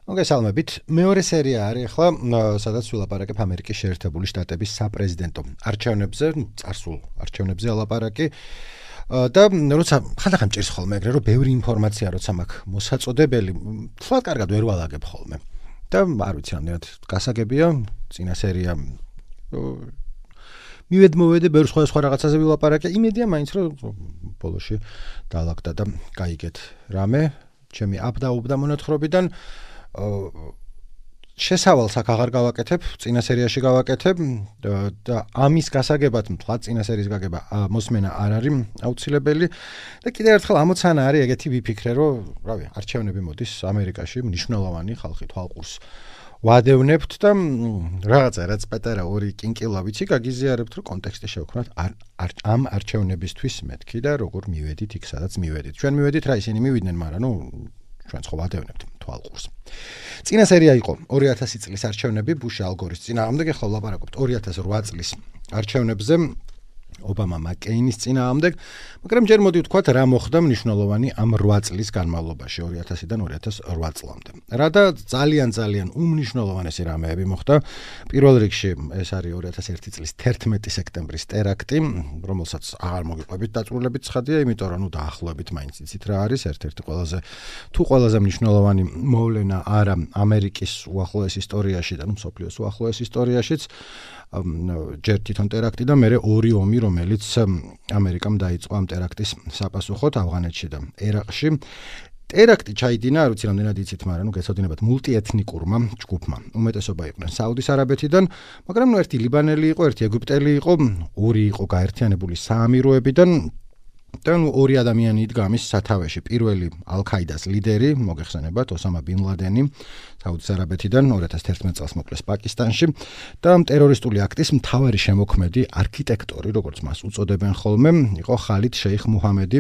მოგესალმებით. მეორე სერია არის ახლა, სადაც ვილაპარაკებ ამერიკის შეერთებული შტატების საპრეზიდენტო არჩევნებზე, წარსულ არჩევნებზე ელაპარაკი. და როცა ხანდახან მჭირს ხოლმე ეგრე, რომ ბევრი ინფორმაცია როცა მაქვს მოსაწოდებელი, თლად კარგად ვერ ვალაგებ ხოლმე. და არ ვიცი, რამდენად გასაგებია, წინა სერია მივედმოვედე ბევრ სხვა რაღაცაზე ვილაპარაკე, იმედია მაინც რომ ბოლოში დაალაგდა და გაიგეთ რამე, ჩემი აბდა მონათხრობიდან შესავალს აქ აღარ გავაკეთებ, წინა სერიაში გავაკეთებ და ამის გასაგებად მთლად წინა სერიის გაგება მოსმენა არ არის აუცილებელი და კიდევ ერთხელ ამოცანა არის ეგეთი ვიფიქრე, რომ რავი, არჩევნები მოდის ამერიკაში, მნიშვნელოვანი ხალხი თვალყურს ვადევნებთ და რაღაცა რაც პატარა ორი კინკილა ვიცი გაგიზიარებთ, რომ კონტექსტი შევქმნათ ამ არჩევნებისთვის მეთქი და როგორ მივედით იქ, სადაც მივედით. ჩვენ მივედით რა ისინი მივიდნენ, მაგრამ ჩვენ ხო ვადევნებთ თვალყურს. წინა სერია იყო 2000 წლის არჩევნები ბუში ალ გორის წინააღმდეგ, ახლა ვლაპარაკობთ 2008 წლის არჩევნებზე ობამა მაკეინის წინააღმდეგ, მაგრამ ჯერ მოდი ვთქვათ რა მოხდა მნიშვნელოვანი ამ 8 წლის განმავლობაში 2000-დან 2008 წლამდე. რა და ძალიან უმნიშვნელოვანესი რამეები მოხდა. პირველ რიგში ეს არის 2001 წლის 11 სექტემბრის ტერაქტი, რომელსაც აღარ მოგიყვებით დაწვრილებით ცხადია, იმიტომ რომ დაახლოებით მაინც იცით რა არის, ერთ-ერთი ყველაზე მნიშვნელოვანი მოვლენა არა ამერიკის უახლოეს ისტორიაში და მსოფლიოს უახლოეს ისტორიაშიც, ჯერ თვითონ ტერაქტი და მერე ორი ომი, რომელიც ამერიკამ დაიწყო ამ ტერაქტის საპასუხოდ ავღანეთში და ერაყში. ტერაქტი ჩაიდინა, არ ვიცი რამდენად იცით, მაგრამ გეცოდინებათ მულტიეთნიკურმა ჯგუფმა. უმეტესობა იყვნენ საუდის არაბეთიდან, მაგრამ ერთი ლიბანელი იყო, ერთი ეგვიპტელი იყო, ორი იყო გაერთიანებული საამიროებიდან და ორი ადამიანი იდგა ამის სათავეში. პირველი ალ-ქაიდას ლიდერი, მოგეხსენებათ, ოსამა ბინ ლადენი, საუდის არაბეთიდან 2011 წელს მოკლეს პაკისტანში და ტერორისტული აქტის მთავარი შემოქმედი არქიტექტორი, როგორც მას უწოდებენ ხოლმე, იყო ხალიდ შეიხ მუჰამედი,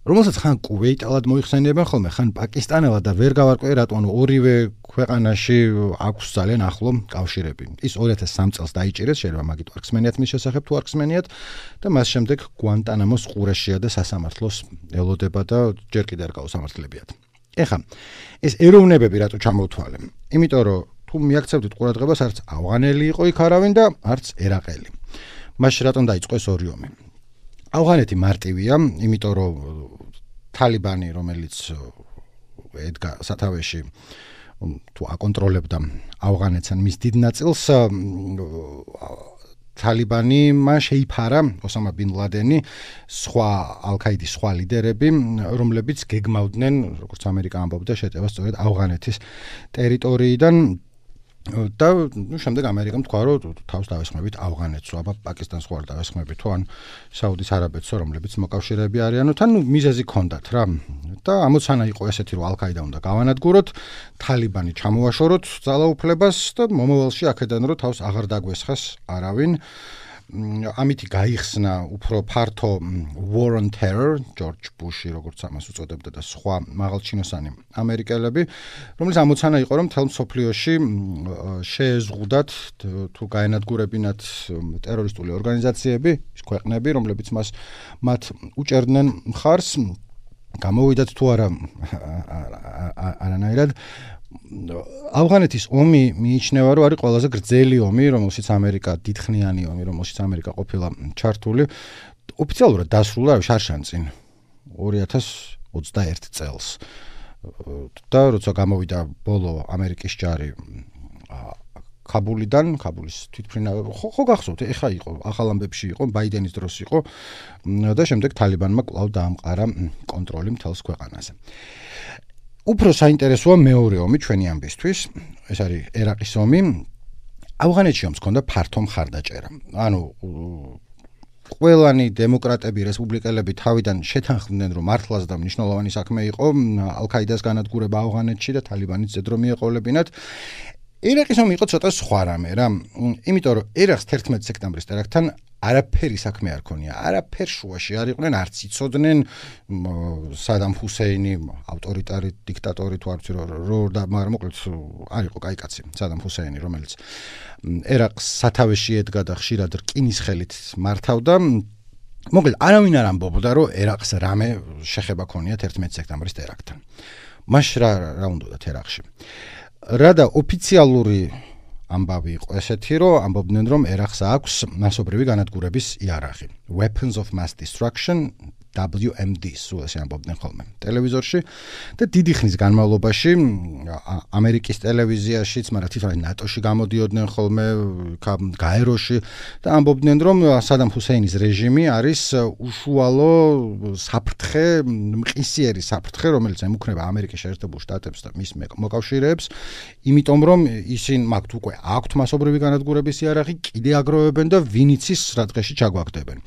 რომელსაც ხან კუვეიტალად მოიხსენიებენ ხოლმე, ხან პაკისტანელად და ვერ გავარკვე რატომ ორივე ქვეყანაში აქვს ძალიან ახლო კავშირები. ის 2003 წელს დაიჭირეს, შეიძლება მაგით ვარქსმენიათ მის შესახებ თუ ვარქსმენიათ და მას შემდეგ გუანტანამოს ყურეშია და სასამართლოს ელოდება და ჯერ კიდევ არ გაუსამართლებიათ. ეხლა ეს ეროვნებები რატო ჩამოვთვალე? იმიტომ რომ თუ მიაქცევდით ყურადღებას, არც ავღანელი იყო იქ არავინ და არც ერაყელი. მაშინ რატომ დაიწყო ეს ორი ომი? ავღანეთი მარტივია, იმიტომ რომ თალიბანი, რომელიც ედგა სათავეში თუ აკონტროლებდა ავღანეთს ან მის დიდ ნაწილს, თალიბანი მან შეიფარა ოსამა ბინ ლადენი, სხვა ალ-ქაიდის სხვა ლიდერები, რომლებიც გეგმავდნენ, როგორც ამერიკა ამბობდა, შეტევას სწორედ ავღანეთის ტერიტორიიდან და შემდეგ ამერიკამ თქვა, რომ თავს დავესხმებით ავღანეთს, აბა პაკისტანს ხო არ დავესხმებით, თუ ან საუდის არაბეთს, რომლებიც მოკავშირეები არიანო, თან მიზეზი ჰქონდათ რა. და ამოცანა იყო ესეთი, რომ ალ-ქაიდა უნდა გავანადგუროთ, თალიბანი ჩამოაშოროთ ძალაუფლებას და მომავალში აქედან რომ თავს აღარ დაგვესხეს არავინ. ამითი გაიხსნა უფრო ფართო war on terror, ჯორჯ ბუში, როგორც ამას უწოდებდა და სხვა მაღალჩინოსანი ამერიკელები, რომელიც ამოცანა იყო, რომ მთელ მსოფლიოში შეეზღუდათ თუ გაენადგურებინათ ტერორისტული ორგანიზაციები, ის ქვეყნები, რომლებიც მათ უჭერდნენ მხარს, გამოვიდათ თუ არა არანაირად. ავღანეთის ომი მიიჩნევა, რომ არის ყველაზე გრძელი ომი, რომელშიც ამერიკა დიდხნიანი ომი, რომელშიც ამერიკა ყოფილა ჩართული. ოფიციალურად დასრულა შარშანწინ 2021 წელს. და როცა გამოვიდა ბოლო ამერიკის ჯარი ქაბულის თვითმფრინა, ხო გახსოვთ, ეხა იყო ახალ ამბებში იყო, ბაიდენის დროს იყო და შემდეგ თალიბანმა კვლავ დაამყარა კონტროლი მთელს ქვეყანაზე. უფრო საინტერესოა მეორე ომი ჩვენი ამბისთვის, ეს არის ერაყის ომი. ავღანეთში ომს ჰქონდა ფართო მხარდაჭერა. ანუ ყველანი დემოკრატები, რესპუბლიკელები თავიდან შეთანხმდნენ, რომ მართლაც და მნიშვნელოვანი საქმე იყო ალ-ქაიდას განადგურება ავღანეთში და თალიბანის ზედ რომ მიეყოლებინათ. ერაყის ომი იყო ცოტა სხვა რამე რა, იმიტომ რომ ერაყს 11 სექტემბრის ტერაქტთან არაფერი საქმე არ ქონია, არაფერ შუაში არ იყვნენ, არც იცოდნენ სადამ ჰუსეინი, ავტორიტარი დიქტატორი თუ არ ვიცი რო და მაგრამ მოკლედ არ იყო კაი კაცი, სადამ ჰუსეინი, რომელიც ერაყს სათავეში ედგა და ხშირად რკინის ხელით მართავდა. მოკლედ არავინ არ ამბობდა, რომ ერაყს რამე შეხება ქონია 11 სექტემბრის ტერაქტთან. მაშ რა უნდათ ერაყში? რადა ოფიციალური ამბავი იყო ესეთი, რომ ამბობდნენ, რომ ერახს აქვს მასობრივი განადგურების იარაღი. Weapons of Mass Destruction WMD სულ ესე ამბობდნენ ხოლმე ტელევიზორში და დიდი ხნის განმავლობაში ამერიკის ტელევიზიაშიც, მაგრამ თვითონ ნატოში გამოდიოდნენ ხოლმე გაეროში და ამბობდნენ, რომ სადამ ჰუსეინის რეჟიმი არის უშუალო საფრთხე, მყისიერი საფრთხე, რომელიც ემუქრება ამერიკის შეერთებულ შტატებს და მის მოკავშირეებს, იმიტომ რომ ისინი მაგთ უკვე აქვთ მასობრივი განადგურების იარაღი, კიდე აგროვებენ და ვინიცის რა დღეში ჩაგვაგდებენ.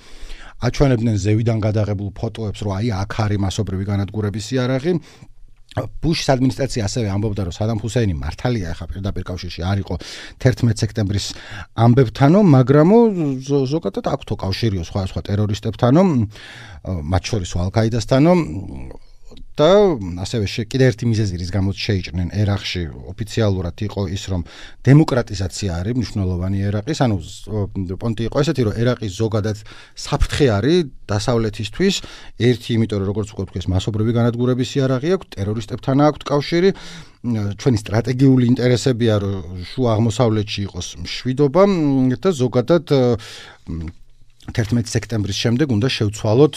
აჩვენებდნენ ზევიდან გადაღებულ ფოტოებს, რომ აი აქ არის მასობრივი განადგურების იარაღი. ბუშის ადმინისტრაცია ასევე ამბობდა, რომ სადამ ჰუსეინი მართალია ახლა პირდაპირ კავშირში არ იყო 11 სექტემბრის ამბებთანო, მაგრამ ზოგადად აქვთო კავშირიო სხვა ტერორისტებთანო, მათ შორის ალ-კაიდასთანო და ასევე კიდე ერთი მიზეზი, რის გამოც შეიჭრნენ ერაყში ოფიციალურად იყო ის, რომ დემოკრატიზაცია არის მნიშვნელოვანი ერაყის, ანუ პონტი იყო ესეთი, რომ ერაყი ზოგადად საფრთხე არის დასავლეთისთვის, ერთი იმიტომ, რომ როგორც ვთქვით, მასობრივი განადგურების იარაღი აქვს, ტერორისტებთან აქვს კავშირი, ჩვენი სტრატეგიული ინტერესებია, რომ შუა აღმოსავლეთში იყოს მშვიდობა და ზოგადად 11 სექტემბრის შემდეგ უნდა შევცვალოთ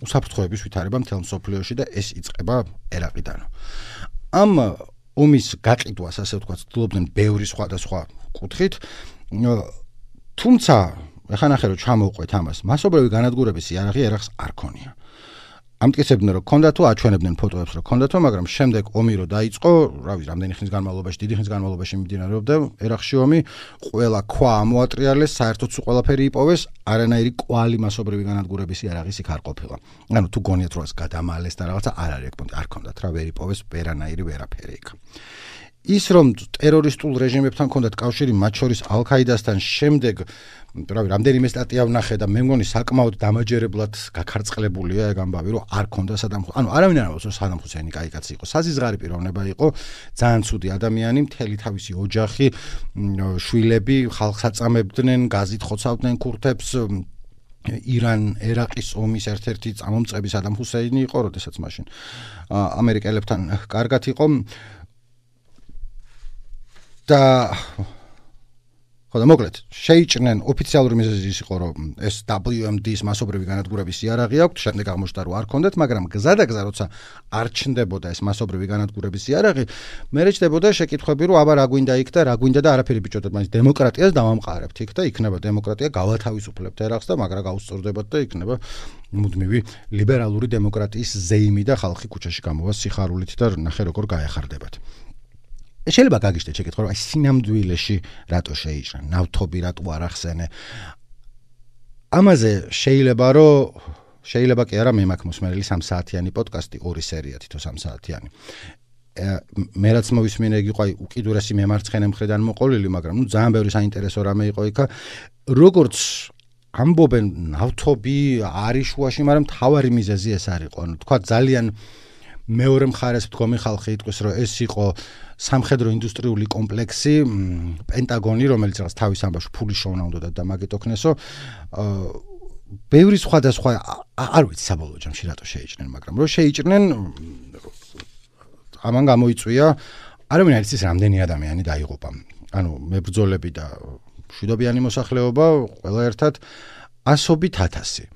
უსაფრთხოების ვითარება მთელ მსოფლიოში და ეს იწყება ერაყიდან. ამ ომის გაყიდვას, ასე ვთქვათ, ცდილობდნენ ბევრი სხვადასხვა კუთხით, თუმცა ახლა ნახე რომ ჩამოვყვეთ ამას, მასობრივი განადგურების იარაღი ერაყს არ ქონია. ამტკიცებდნენ, რომ ქონდა თუ აჩვენებდნენ ფოტოებს, რომ ქონდა თუ, მაგრამ შემდეგ ომი რო დაიწყო, რა ვიცი, რამდენი ხნის განმავლობაში, დიდი ხნის განმავლობაში მიმდინარეობდა ერაყში ომი, ყველა ქვა ამოატრიალეს, საერთოდ სულ ყველაფერი იპოვეს, არანაირი კვალი მასობრივი განადგურების იარაღის იქ არ ყოფილა. ანუ თუ გონიათ რომ ეს გადამალეს და რაღაცა არ არის ეგ, არ ქონდათ რა, ვერ იპოვეს ვერანაირი ვერაფერი იქ. ის რომ ტერორისტულ რეჟიმებთან ქონდათ კავშირი, მათ შორის ალ-კაიდასთან შემდეგ რამდენიმე სტატია ვნახე და მე მგონი საკმაოდ დამაჯერებლად გაქარწყლებულია ეგ ამბავი, რომ არ ქონდა სადამ ჰუსეინი. ანუ არავინ არ ამბობს, რომ სადამ ჰუსეინი კაი კაცი იყო. საზიზღარი პიროვნება იყო, ძალიან ცუდი ადამიანი, მთელი თავისი ოჯახი, შვილები ხალხს აწამებდნენ, გაზით ხოცავდნენ ქურთებს. ირან-ერაყის ომის ერთ-ერთი წამომწყები სადამ ჰუსეინი იყო, როდესაც მაშინ ამერიკელებთან კარგად იყო. და ხო და მოკლედ შეიჭრნენ ოფიციალური მიზეზი ის იყო, რომ ეს WMD-ის მასობრივი განადგურების იარაღი აქვს, შემდეგ აღმოჩნდა რომ არ ქონდათ, მაგრამ გზადაგზა როცა არ ჩნდებოდა ეს მასობრივი განადგურების იარაღი, მერე ჩნდებოდა შეკითხვები, რომ აბა რა გვინდა იქ და რა გვინდა და არაფერი ბიჭოდეთ, მაინც დემოკრატიას დავამყარებთ იქ და იქნება დემოკრატია, გავათავისუფლებთ ერაყს და მაგრამ გაუსწორდებათ და იქნება მუდმივი ლიბერალური დემოკრატიის ზეიმი და ხალხი ქუჩაში გამოვა სიხარულით და ნახე როგორ გაეხარდებათ. შეიძლება გაგიჟდეთ შეკითხვა, რომ აი სინამდვილეში რატო შეიჭრან, ნავთობი რატო არ ახსენე. ამაზე შეიძლება კი არა, მე მაქვს მოსმენელი 3 საათიანი პოდკასტი, 2 სერია თითო 3 საათიანი. მე რაც მოვისმინე იგი იყო აი უკიდურესი მემარცხენე მხრიდან მოყოლილი, მაგრამ ნუ ძალიან ბევრი საინტერესო რამე იყო იქა. როგორც ამბობენ, ნავთობი არის შუაში, მაგრამ მთავარი მიზეზი ეს არ იყო. ანუ თქვა ძალიან მეორე მხარეს მდგომი ხალხი იტყვის, რომ ეს იყო სამხედრო ინდუსტრიული კომპლექსი, პენტაგონი, რომელიც რაღაც თავის ამბავში ფულის შოვნა უნდა და მაგით ოქნესო. ბევრი სხვადასხვა არ ვიცი საბოლოო ჯამში რატო შეიჭრნენ, მაგრამ რომ შეიჭრნენ, ამან გამოიწვია, არავინ არ იცის რამდენი ადამიანი დაიღუპა. ანუ მებრძოლები და მშვიდობიანი მოსახლეობა ყველა ერთად 100,000.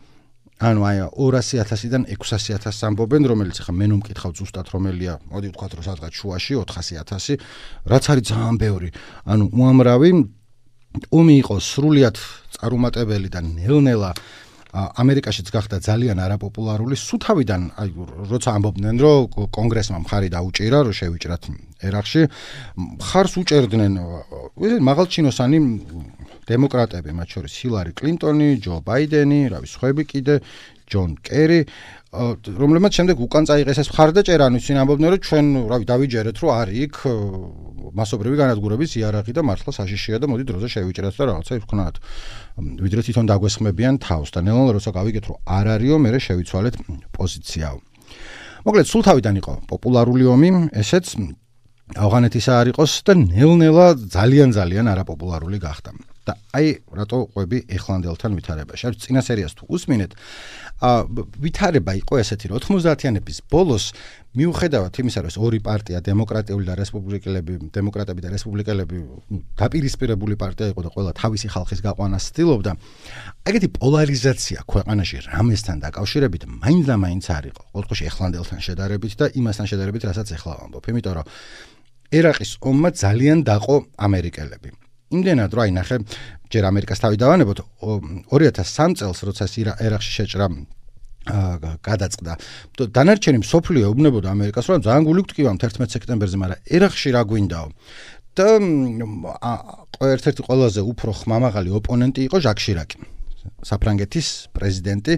ანუ აი 200,000-დან 600,000 ამბობენ, რომელიც ახლა მე ნუმკითხავ ზუსტად რომელია, მოდი ვთქვათ რომ სადღაც შუაში 400,000, რაც არის ძალიან ბევრი. ანუ უამრავი ომი იყო სრულიად წარუმატებელი და ნელ-ნელა ამერიკაშიც გახდა ძალიან არაპოპულარული. სუთავიდან აი როცა ამბობდნენ, რომ კონგრესმა მხარი დაუჭირა, რომ შევიჭრათ ერაყში, მხარს უჭერდნენ მაღალჩინოსანი დემოკრატები, მათ შორის ჰილარი კლინტონი, ჯო ბაიდენი, სხვები კიდე, ჯონ კერი, რომლებმაც შემდეგ უკან წაიღეს ეს მხარდაჭერა, ანუ ისინი ამბობდნენ, რომ ჩვენ დავიჯერეთ, რომ არის იქ მასობრივი განადგურების იარაღი და მართლა საშიშია და მოდი დროზე შევიჭრათ და რაღაცა ვქნათ. ვიდრე თვითონ დაგვესხმებიან თავს და ნელ-ნელა როცა გავიგეთ, რომ არ არისო, მერე შევიცვალეთ პოზიციაო. მოკლედ სულ თავიდან იყო პოპულარული ომი, ესეც ავღანეთისა არ იყოს და ნელ-ნელა ძალიან არაპოპულარული გახდა. და აი რატო ყვები ეხლანდელთან ვითარებაში. არის წინა სერიას თუ უსმინეთ, ვითარება იყო ესეთი, რომ 90-იანების ბოლოს მიუხედავად იმისა, რომ ორი პარტია, დემოკრატიული და დემოკრატები და რესპუბლიკელები, დაპირისპირებული პარტია იყო და ყველა თავისი ხალხის გაყვანას ცდილობდა, ეგეთი პოლარიზაცია ქვეყანაში რამესთან დაკავშირებით მაინც და მაინც არ იყო. ყოველთვის ეხლანდელთან შედარებით და იმასთან შედარებით, რასაც ეხლა ვამბობ. იმიტომ რომ ერაყის ომმა ძალიან დაყო ამერიკელები. იმდენად რომ აი ნახე, ჯერ ამერიკას თავი დავანებოთ 2003 წელს, როცა ერაყში შეჭრა გადაწყდა. დანარჩენი მსოფლიო ეუბნებოდა ამერიკას, რომ ძალიან გული გვტკივამთ 11 სექტემბერზე, მაგრამ ერაყში რა გვინდაო. და ერთ-ერთი ყველაზე უფრო ხმამაღალი ოპონენტი იყო ჟაკ შირაკი, საფრანგეთის პრეზიდენტი,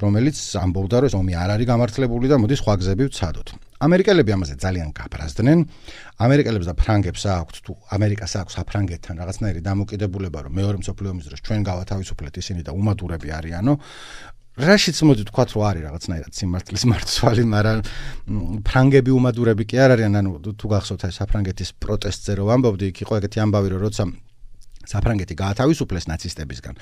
რომელიც ამბობდა, რომ ეს ომი არ არის გამართლებული და მოდი სხვა გზები ვცადოთ. ამერიკელები ამაზე ძალიან გაბრაზდნენ. ამერიკელებს და ფრანგებს აქვთ, თუ ამერიკას აქვს საფრანგეთთან რაღაცნაირი დამოკიდებულება, რომ მეორე მსოფლიო ომის დროს ჩვენ გავათავისუფლეთ ისინი და უმადურები არიანო. რაშიც მოდი თქვათ, რომ არის რაღაცნაირად სიმართლის მარცვალი, მაგრამ ფრანგები უმადურები კი არ არიან, ანუ თუ გახსოვთ აი საფრანგეთის პროტესტზე რომ ამბობდი, იქ იყო ეგეთი ამბავი, რომ როცა საფრანგეთი გაათავისუფლეს ნაცისტებისგან,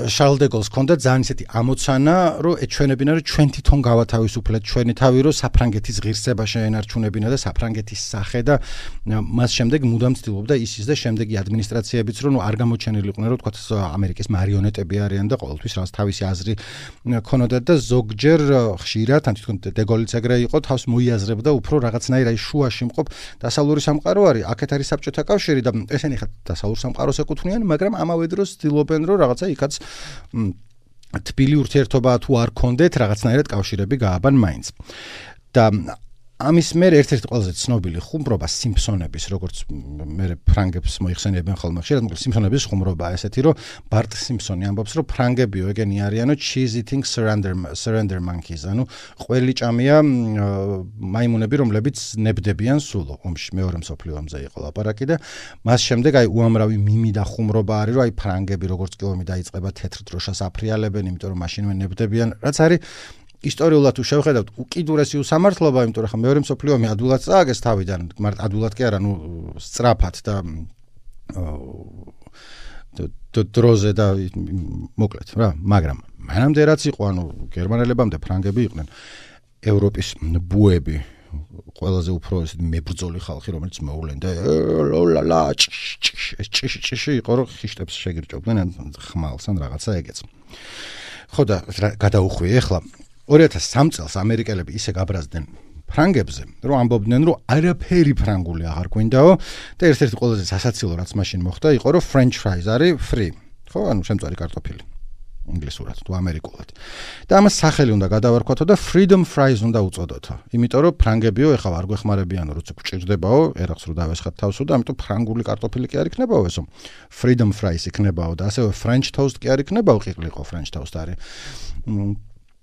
შარლ დე გოლს ჰქონდა ძალიან ისეთი ამოცანა, რომ ეჩვენებინა, რომ ჩვენ თვითონ გავათავისუფლეთ ჩვენი თავი, რომ საფრანგეთის ღირსება შეენარჩუნებინა და საფრანგეთის სახე და მას შემდეგ მუდამ ცდილობდა ისიც და შემდეგი ადმინისტრაციებიც, რომ არ გამოჩენილიყვნენ, რომ თქვათ ამერიკის მარიონეტები არიან და ყოველთვის რაღაც თავისი აზრი ქონოდათ და ზოგჯერ ხშირად, ან თვითონ დე გოლიც ეგრე იყო, თავს მოიაზრებდა უფრო რაღაცნაირ აი შუაში მყოფ დასავლური სამყარო არის, აქეთ არის საბჭოთა კავშირი და ესენი ხა დასავლურ სამყაროს ეკუთვნიან, მაგრამ ამავე დროს ცდილობენ, რომ რაღაცა იქაც თბილი ურთიერთობა თუ არ კონდეთ, რაღაცნაირად კავშირები გააბან მაინც. და ამის მერე ერთ-ერთი ყველაზე ცნობილი ხუმრობა სიმფსონების, როგორც მე ფრანგებს მოიხსენიებენ ხოლმე ხშირად, მაგრამ სიმფსონების ხუმრობა ესეთი, რომ ბარტ სიმფსონი ამბობს, რომ ფრანგებიო ეგენი არიანო cheese eating surrender monkeys, ანუ ყველიჭამია მაიმუნები, რომლებიც ნებდებიან სულ ომში, მეორე მსოფლიო ომზე იყო ლაპარაკი და მას შემდეგ აი უამრავი მიმი და ხუმრობა არის, რომ აი ფრანგები როგორც კი ომი დაიწყება თეთრ დროშას აფრიალებენ, იმიტომ რომ მაშინვე ნებდებიან, რაც არის ისტორიულად თუ შევხედავთ უკიდურესი უსამართლობა, იმიტომ რომ ხა მეორე მსოფლიო ომი ადვილად წააგეს თავიდან, მაგრამ ადვილად კი არა, ნუ სწრაფად და დროზე და მოკლედ რა, მაგრამ მანამდე რაც იყო, ანუ გერმანელებამდე ფრანგები იყვნენ ევროპის ბუები, ყველაზე უფრო ესეთი მებრძოლი ხალხი, რომელიც მოვლენ და ლოლა ჭიში იყო, რომ ხიშტებს შეგირჭობდნენ ან ხმალს ან რაღაცა ეგეც. ხო და გადაუხვიე ახლა 2003 წელს ამერიკელები ისე გაბრაზდნენ ფრანგებზე, რომ ამბობდნენ, რომ არაფერი ფრანგული აღარ გვინდაო და ერთ-ერთი ყველაზე სასაცილო რაც მაშინ მოხდა, იყო რომ French fries არის free. ხო, ანუ შემწვარი კარტოფილი. ინგლისურად თუ ამერიკულად. და ამას სახელი უნდა გადავარქვათო და freedom fries უნდა უწოდოთო. იმიტომ რომ ფრანგებიო ეხლა არ გვეხმარებიანო, როცა გვჭირდებაო, ერახს რო დავესხათ თავსო და ამიტომ ფრანგული კარტოფილი კი არ იქნებაო ესო. freedom fries იქნებაო და ასევე French toast კი არ იქნებაო, ყიყლიყო French toast არის.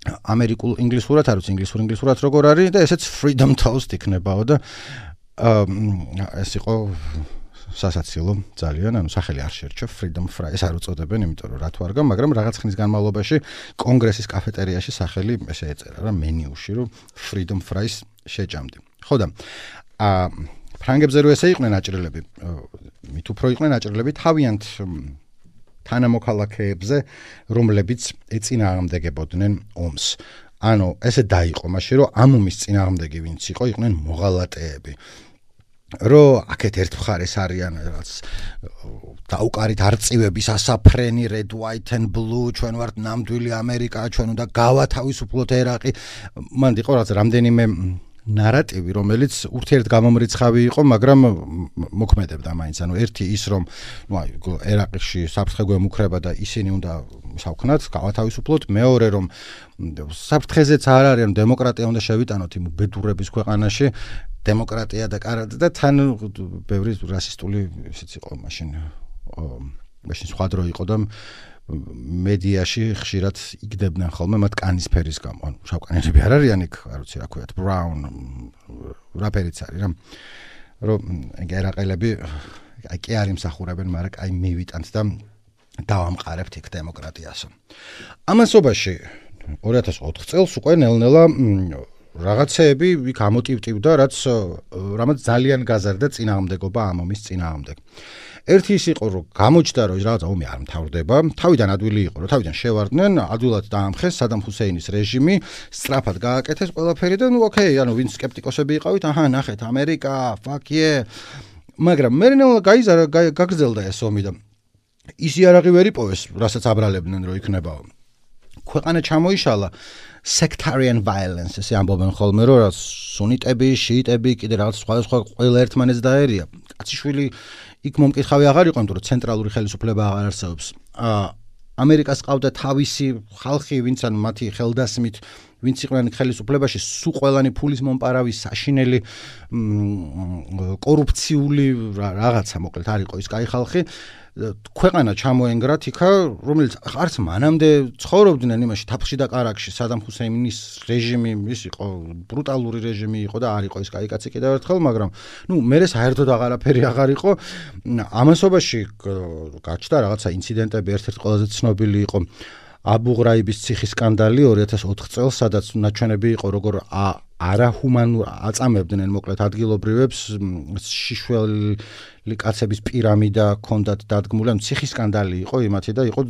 ამერიკულ ინგლისურად არ ვიცი, ინგლისურად როგორ არის და ესეც freedom toast იქნებაო და ეს იყო სასაცილო ძალიან, ანუ სახელი არ შერჩა freedom fries არ უწოდებენ, იმიტომ რომ რა თუ არ გამ, მაგრამ რაღაც ხნის განმავლობაში კონგრესის კაფეტერიაში სახელი ესე ეწერა რა მენიუში, რომ freedom fries შეჭამდი. ხო და ფრანგებზე რო ესე იყვნენ აჭრილები, მით უფრო იყვნენ აჭრილები თავიანთ თანამოქალაქეებზე, რომლებიც ეწინააღმდეგებოდნენ ომს. ანუ ესე დაიყო მაშინ, რომ ამ ომის წინააღმდეგი ვინც იყო, იყვნენ მოღალატეები. რომ აქეთ ერთ მხარეს არიან რაღაც დაუკარით არწივების ასაფრენი red white and blue, ჩვენ ვართ ნამდვილი ამერიკა, ჩვენ უნდა გავათავისუფლოთ ერაყი. მან იყო რაღაც რამდენიმე ნარატივი, რომელიც ურთიერთგამომრიცხავი იყო, მაგრამ მოქმედებდა მაინც. ანუ ერთი ის, რომ აი ერაყში საფრთხე გვემუქრება და ისინი უნდა სავქნათ, გავათავისუფლოთ. მეორე, რომ საფრთხეზეც არ არის, ანუ დემოკრატია უნდა შევიტანოთ იმ უბედურების ქვეყანაში. დემოკრატია და კარადა და თან ბევრი რასისტული ისიც იყო მაშინ. მაშინ სხვა დრო იყო და მედიაში ხშირად იგდებდნენ ხოლმე მათ კანის ფერის გამო. ანუ შავკანიანები არ არიან იქ, არ ვიცი რა ქვიათ, brown რა ფერიც არის რა. რომ ერაყელები აი კი არ იმსახურებენ, მაგრამ აი მივიტანთ და დავამყარებთ იქ დემოკრატიას. ამასობაში 2004 წელს უკვე ნელ-ნელა რაღაცეები იქ ამოტივტივდა, რამაც ძალიან გაზარდა წინააღმდეგობა ამ ომის წინააღმდეგ. ერთი ის იყო, რომ გამოჩნდა, რომ რაღაცა ომი არ მთავრდება, თავიდან ადვილი იყო, რომ თავიდან შევარდნენ, ადვილად დაამხეს სადამ ჰუსეინის რეჟიმი, სწრაფად გააკეთეს ყველაფერი და ოკეი, ვინც სკეპტიკოსები იყავით, ნახეთ, ამერიკა, fuck yeah. მაგრამ მერე გაგრძელდა ეს ომი და ის იარაღი ვერ იპოვეს, რასაც აბრალებდნენ, რომ იქნებაო. ქვეყანა ჩამოიშალა sectarian violence, ესე ამბობენ ხოლმე, რომ სუნიტები, შიიტები, კიდე რაღაც სხვა ყველა ერთმანეთს დაერია. კაციშვილი იქ მომკითხავი აღარ იყო, იმიტომ რომ ცენტრალური ხელისუფლება აღარ არსებობს. ამერიკას ყავდა თავისი ხალხი, ვინც ან მათი ხელდასმით, ვინც იყვნენ ხელისუფლებაში, სულ ყველანი ფულის მომპარავი, საშინელი, კორუფციული რაღაცა, მოკლედ არ იყო ის კაი ხალხი. ქვეყანა ჩამოენგრათ იქა, რომელიც არც მანამდე ცხოვრობდნენ იმაში თაფლში და კარაკში, სადამ ჰუსეინის რეჟიმი, ის იყო ბრუტალური რეჟიმი იყო და არ იყო ის კაი კაცი კიდევ ერთხელ, მაგრამ მერე საერთოდ აღარაფერი აღარ იყო. ამასობაში გაჩნდა რაღაცა ინციდენტები, ერთ-ერთი ყველაზე ცნობილი იყო აბუ ღრაიბის ციხის სკანდალი 2004 წელს, სადაც ნაჩვენები იყო, როგორ არაჰუმანურ აწამებდნენ მოკლედ ადგილობრივებს, შიშველი კაცების პირამიდა ჰქონდათ დადგმული, ციხის სკანდალი იყო იმათი და იყო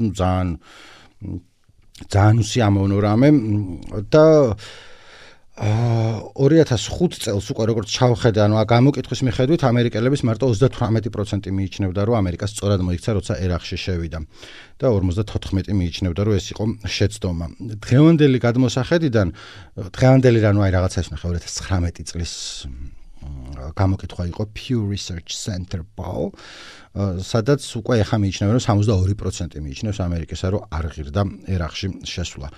ძალიან უსიამოვნო რამე და 2005 წელს უკვე როგორც ჩავხედე, გამოკითხვის მიხედვით ამერიკელების მარტო 38% მიიჩნევდა, რომ ამერიკას სწორად მოიქცა, როცა ერაყში შევიდა და 54% მიიჩნევდა, რომ ეს იყო შეცდომა. დღევანდელი გადმოსახედიდან, დღევანდელი რაღაცა ის ნახე 2019 წლის გამოკითხვა იყო Pew Research Center poll, სადაც უკვე ეხა მიიჩნევენ, რომ 72% მიიჩნევს ამერიკასა, რომ არ ღირდა ერაყში შესვლა.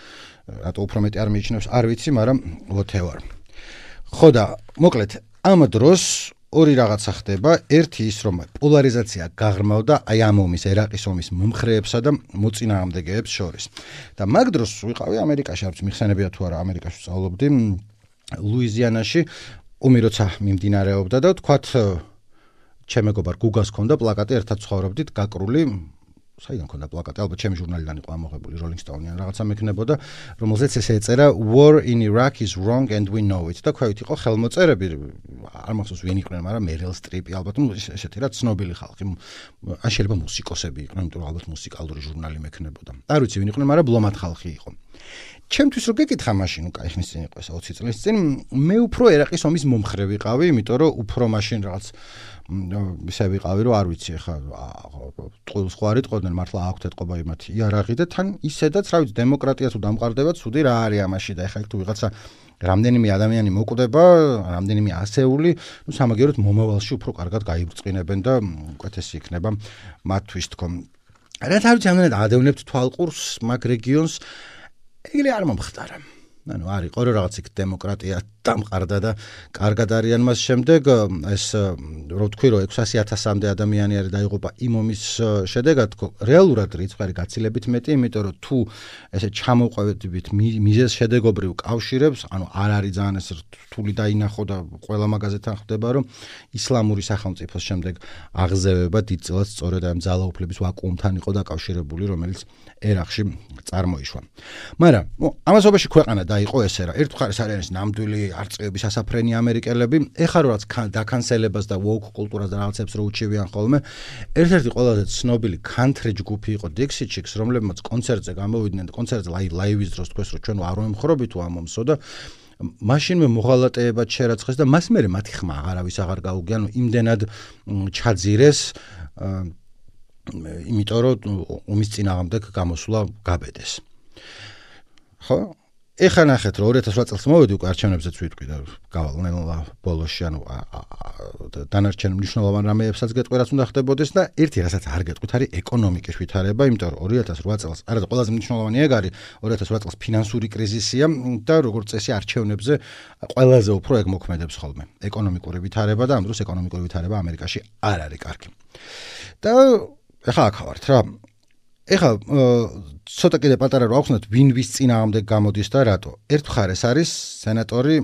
რატო უფრო მეტი არ მიიჩნევს, არ ვიცი, მაგრამ whatever. ხო და მოკლედ ამ დროს ორი რაღაცა ხდება, ერთი ის, რომ პოლარიზაცია გაღრმავდა აი ამ ომის, ერაყის ომის მომხრეებსა და მოწინააღმდეგეებს შორის. და მაგ დროს ვიყავი ამერიკაში, არც მიხსენებია თუ არა, ამერიკაში ვსწავლობდი, ლუიზიანაში, ომი როცა მიმდინარეობდა და თქვათ ჩემ მეგობარ გუგას ქონდა პლაკატი, ერთად ცხოვრობდით, გაკრული, საიდან ქონდა პლაკატი, ალბათ ჩემი ჟურნალიდან იყო ამოღებული, Rolling Stone-იან რაღაცა მექნებოდა, რომელზეც ესე ეწერა War in Iraq is wrong and we know it. და ქვევით იყო ხელმოწერები, არ მახსოვს ვინ იყვნენ, მაგრამ Meryl Streep, ალბათ ესეთი რა ცნობილი ხალხი, ან შეიძლება მუსიკოსები იყვნენ, იმიტომ რომ ალბათ მუსიკალური ჟურნალი მექნებოდა. არ ვიცი ვინ იყვნენ, მაგრამ ბლომად ხალხი იყო. ჩემთვის რო გეკითხა მაშინ, კაი ხნის წინ იყო ეს 20 წლის წინ, მე უფრო ერაყის ომის მომხრე ვიყავი, იმიტომ რომ უფრო მაშინ რაღაც ისე ვიყავი, რომ არ ვიცი ხა ტყუილს ხო არ იტყოდნენ, მართლა აქვთ ეთყობა იმათი იარაღი და თან ისედაც რა ვიცი დემოკრატია თუ დამყარდება, ცუდი რა არის ამაში და ეხა იქ თუ ვიღაცა რამდენიმე ადამიანი მოკვდება, რამდენიმე ასეული, სამაგიეროდ მომავალში უფრო კარგად გაიბრწყინებენ და უკეთესი იქნება მათთვის თქო. რაც არ ვიცი, ამდენად ადევნებთ თვალყურს მაგ რეგიონს, ეგრე არ მომხდარა. არის ყო რაღაც იქ დემოკრატია დამყარდა და კარგად არიან მას შემდეგ ეს რო თქვი რომ 600,000-მდე ადამიანი არის დაიღუპა იმ ომის შედეგად რეალურად რიცხვი გაცილებით მეტი, იმიტომ რომ თუ ესე ჩამოყვებით მიზეზ შედეგობრივ კავშირებს, არ არის ძალიან ეს რთული დაინახო და ყველა მაგაზეთან ხდება რომ ისლამური სახელმწიფოს შემდეგ აღზევება დიდწილად სწორედ ამ ძალაუფლების ვაკუუმთან იყო დაკავშირებული, რომელიც ერაყში წარმოიშვა. მაგრამ ამასობაში ქვეყანა დაიყო ესე რა. ერთ მხარეს არის ნამდვილი არწივების ასაფრენი ამერიკელები, ეხლა რაც დაკანსელებას და woke კულტურას და რაღაცებს რო უჩივიან ხოლმე. ერთ-ერთი ყველაზე ცნობილი country ჯგუფი იყო Dixie Chicks, რომლებმაც კონცერტზე გამოვიდნენ და კონცერტზე ლაივის დროს თქვეს რომ ჩვენ არ ვემხრობით თუ ამ ომსო და მაშინვე მოღალატეებად შერაცხეს და მას მერე მათი ხმა აღარავის აღარ გაუგია, იმდენად ჩაძირეს იმიტომ რომ ომის წინააღმდეგ გამოსვლა გაბედეს. ხო? ეხლა ნახეთ რომ 2008 წელს მოვედი უკვე არჩევნებზეც ვიტყვი და გავალ ნელა ბოლოში, დანარჩენ მნიშვნელოვან რამეებსაც გეტყვი რაც უნდა ხდებოდეს და ერთი რასაც არ გეტყვით არის ეკონომიკის ვითარება, იმიტომ რომ 2008 წელს არა ყველაზე მნიშვნელოვანი ეგ არის 2008 წელს ფინანსური კრიზისია და როგორც წესი არჩევნებზე ყველაზე უფრო ეგ მოქმედებს ხოლმე ეკონომიკური ვითარება და ამ დროს ეკონომიკური ვითარება ამერიკაში არ არის კარგი. და ეხლა აქ ვართ რა. ეხლა ცოტა კიდე პატარა რო ახსნათ ვინ ვის წინააღმდეგ გამოდის და რატო. ერთ მხარეს არის სენატორი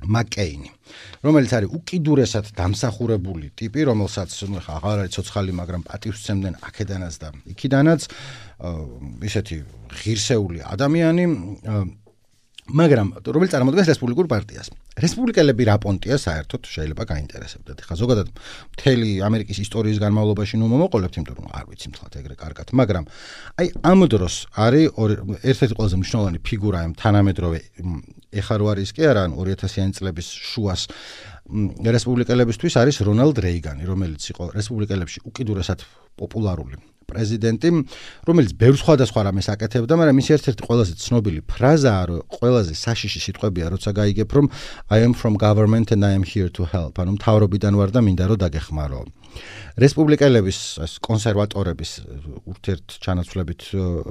მაკეინი, რომელიც არის უკიდურესად დამსახურებული ტიპი, რომელსაც ხა აღარ არის ცოცხალი, მაგრამ პატივს სცემდნენ აქედანაც და იქიდანაც, ისეთი ღირსეული ადამიანი, მაგრამ რომელიც წარმოადგენს რესპუბლიკურ პარტიას. რესპუბლიკელები რა პონტია საერთოდ შეიძლება გაინტერესებდეთ. ხა ზოგადად მთელი ამერიკის ისტორიის განმავლობაში მომოყოლებთ, იმიტომ რომ არ ვიცი მთლად ეგრე კარგად, მაგრამ აი ამ დროს არის ერთ-ერთი ყველაზე მნიშვნელოვანი ფიგურა ამ თანამედროვე ეხა რო არის კი არა 2000-იანი წლების შუას რესპუბლიკელებისთვის არის რონალდ რეიგანი, რომელიც იყო რესპუბლიკელებში უკიდურესად პოპულარული პრეზიდენტი, რომელიც ბევრ სხვადასხვა რამეს აკეთებდა, მაგრამ მისი ერთ-ერთი ყველაზე ცნობილი ფრაზაა, რომ ყველაზე საშიში სიტყვებია, როცა გაიგებ, რომ I am from government and I am here to help. ანუ მთავრობიდან ვარ და მინდა რომ დაგეხმარო. რესპუბლიკელების კონსერვატორების ურთიერთჩანაცვლებით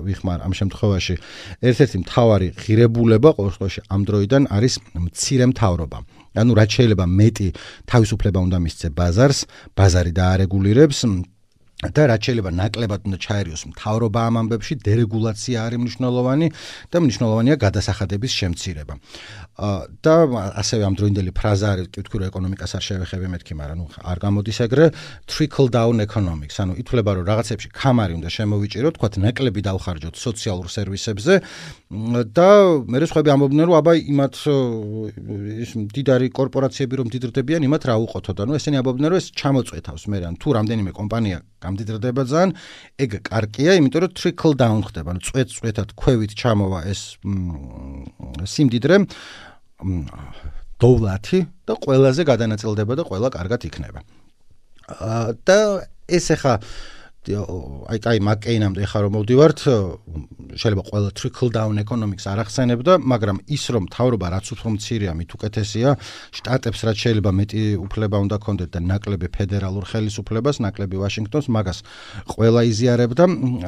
ვიხმარ ამ შემთხვევაში ერთ-ერთი მთავარი ღირებულება ყოველ შემთხვევაში ამ დროიდან არის მცირე მთავრობა. ანუ რაც შეიძლება მეტი თავისუფლება უნდა მისცე ბაზარს, ბაზარი დაარეგულირებს და რაც შეიძლება ნაკლებად უნდა ჩაერიოს მთავრობა ამ ამბებში, დერეგულაცია არის მნიშვნელოვანი და მნიშვნელოვანია გადასახადების შემცირება. და ასევე ამ დროინდელი ფრაზა არის, კი ვთქვი, რომ ეკონომიკას არ შევეხები მეთქი, მაგრამ არ გამოდის ეგრე trickle down economics, ანუ ითვლება, რომ რაღაცებში ქამარი უნდა შემოვიჭიროთ, თქვათ, ნაკლები დავხარჯოთ სოციალურ სერვისებზე და მერე სხვები ამბობდნენ, რომ აბა იმათ ის მდიდარი კორპორაციები რომ მდიდრდებიან, იმათ რა უყოთოთ, ანუ ესენი ამბობდნენ, რომ ეს ჩამოწვეთავს მე, ან თუ რამდენიმე კომპანია გამდიდრდება ძალიან, ეგ კარგია, იმიტომ რომ trickle down ხდება, ანუ წვეთ-წვეთად ქვევით ჩამოვა ეს სიმდიდრე დოვლათი და ყველაზე გადანაწილდება და ყველა კარგად იქნება. და ეს ახლა აი მაკეინამდე ხარ რომ მოვდივართ, შეიძლება ყველა trickle down economics არ ახსენებდა, მაგრამ ის რომ მთავრობა რაც უფრო მცირეა, მით უკეთესია, შტატებს რაც შეიძლება მეტი უფლება უნდა ქონდეთ და ნაკლები ფედერალურ ხელისუფლებას, ნაკლები ვაშინგტონს, მაგას ყველა იზიარებდა